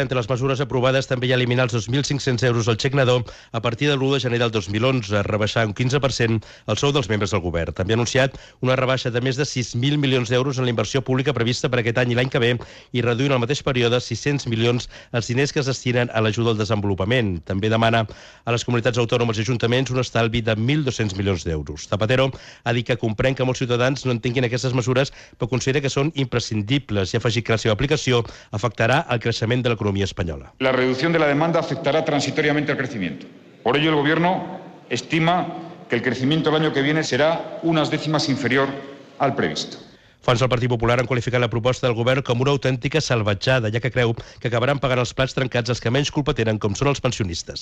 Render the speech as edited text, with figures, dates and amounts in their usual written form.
Entre les mesures aprovades també hi ha eliminar els 2.500 euros al xec nadó a partir de l'1 de gener del 2011, rebaixar un 15% el sou dels membres del govern. També ha anunciat una rebaixa de més de 6.000 milions d'euros en la inversió pública prevista per aquest any i l'any que ve i reduir en el mateix període 600 milions els diners que es destinen a l'ajuda al desenvolupament. També demana a les comunitats autònomes i ajuntaments un estalvi de 1.200 milions d'euros. Zapatero ha dit que comprèn que molts ciutadans no entenguin aquestes mesures, però considera que són imprescindibles i ha afegit que la seva aplicació afectarà el creixement de l'economia española. La reducción de la demanda afectará transitoriamente al crecimiento. Por ello, el Gobierno estima que el crecimiento el año que viene será unas décimas inferior al previsto. Fonts del Partit Popular han qualificat la proposta del govern com una autèntica salvatjada, ja que creu que acabaran pagant els plats trencats els que menys culpa tenen, com són els pensionistes.